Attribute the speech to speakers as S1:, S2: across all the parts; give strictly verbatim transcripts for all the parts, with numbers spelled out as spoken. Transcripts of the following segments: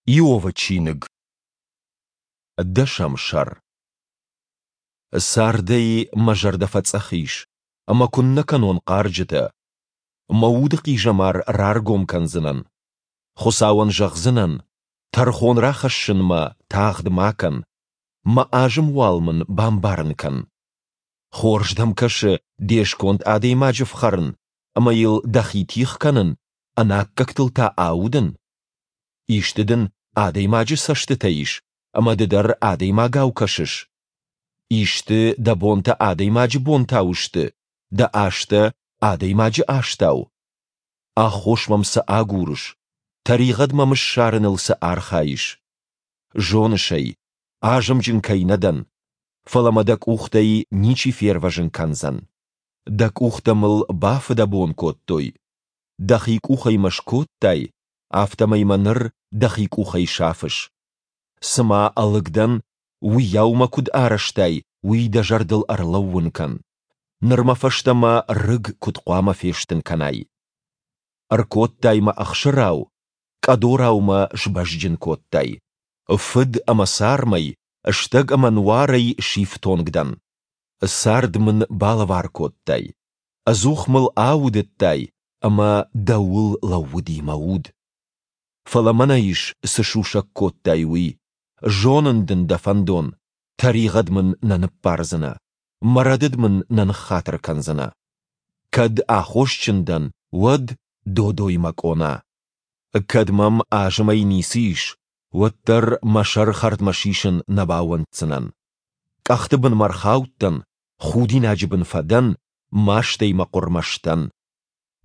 S1: Иовы чиныг, дӕсӕм сӕр. Цардӕй мӕ зӕрдӕ фӕцъӕх ис, ӕмӕ куыннӕ кӕнон хъарджытӕ. Мӕ уды хъизӕмар раргом кӕндзынӕн. Хуыцауӕн зӕгъдзынӕн: тӕрхон рахӕссынмӕ тагъд ма кӕн, мӕ азым уал мын бамбарын кӕн. Хорз дӕм кӕсы де сконд адӕймаджы фхӕрын ӕмӕ йыл дӕхи тигъ кӕнын, ӕнаккӕгтыл та аудын? Исты дын адӕймаджы цӕстытӕ ис, ӕмӕ ды дӕр адӕймагау кӕсыс? Исты дӕ бонтӕ адӕймаджы бонтау сты, дӕ азтӕ адӕймаджы азтау? Аххос мӕм цы агурыс, тӕригъӕд мӕм ссарыныл цы архайыс? Зоныс ӕй, азымджын кӕй нӕ дӕн, фӕлӕ мӕ дӕ къухтӕй ничи фервӕзын кӕндзӕн. Дӕ къухтӕ мыл бафыдӕбон кодтой, дӕхи къухӕй мӕ скодтай, афтӕмӕй мӕ ныр дӕхи къухӕй сафыс. Цыма ӕлыг дӕн, уыйау мӕ куыд арӕзтай, уый дӕ зӕрдыл ӕрлӕууын кӕн. Ныр мӕ фӕстӕмӕ рыг куыд хъуамӕ фестын кӕнай? Ӕркодтай мӕ ӕхсырау, къӕдорау мӕ сбӕзджын кодтай. Фыд ӕмӕ цармӕй, стӕг ӕмӕ нуарӕй сифтонг дӕн. Цард мын балӕвар кодтай, ӕдзух мыл аудыдтай, ӕмӕ дӕуыл лӕууыди мӕ уд. Фӕлӕ мӕнӕ ис, цы сусӕг кодтай, уый. Зонын дын дӕ фӕндон, тӕригъӕд мын нӕ ныббардзынӕ, мӕ рӕдыд мын нӕ ныххатыр кӕндзынӕ. Кӕд аххосджын дӕн, уӕд додой мӕ къона. Кӕд мӕм азымӕй ницы ис, уӕддӕр мӕ сӕр хӕрдмӕ сисын нӕ бауӕнддзынӕн. Къӕхты бынмӕ рхаудтӕн, худинаджы бын фӕдӕн, мастӕй мӕ хъуырмӕ сдӕн.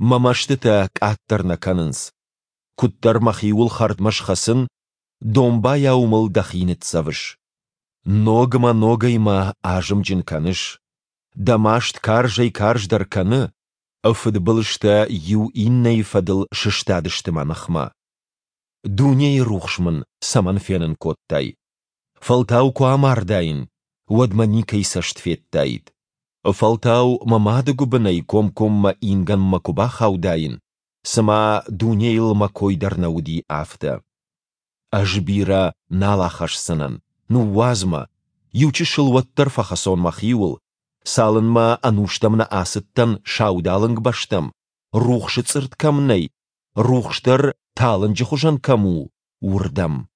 S1: Мӕ мӕстытӕ къаддӕр нӕ кӕнынц. Куыддӕр мӕхиуыл хӕрдмӕ схӕцын, домбайау мыл дӕхи ныццӕвыс. Ног ӕмӕ ногӕй мӕ азымджын кӕныс. Дӕ маст карзӕй-карздӕр кӕны, фыдбылызтӕ иу иннӕйы фӕдыл сыстадысты мӕ ныхмӕ. Дунейы рухс мын цӕмӕн фенын кодтай? Фӕлтау куы амардаин, уӕд мӕ никӕй цӕст федтаид. Фӕлтау мӕ мады гуыбынӕй комкоммӕ ингӕнмӕ куы бахаудаин, цыма дунейыл мӕ кой дӕр нӕ уыди, афтӕ. Ӕз бирӕ нал ахӕсдзынӕн, ныууадз мӕ, иучысыл уӕддӕр фӕхӕцон мӕхиуыл, цалынмӕ ӕнустӕм нӕ ацыдтӕн саудалынг бӕстӕм, рухсы цъыртт кӕм нӕй, рухс дӕр талынджы хуызӕн кӕм у, уырдӕм.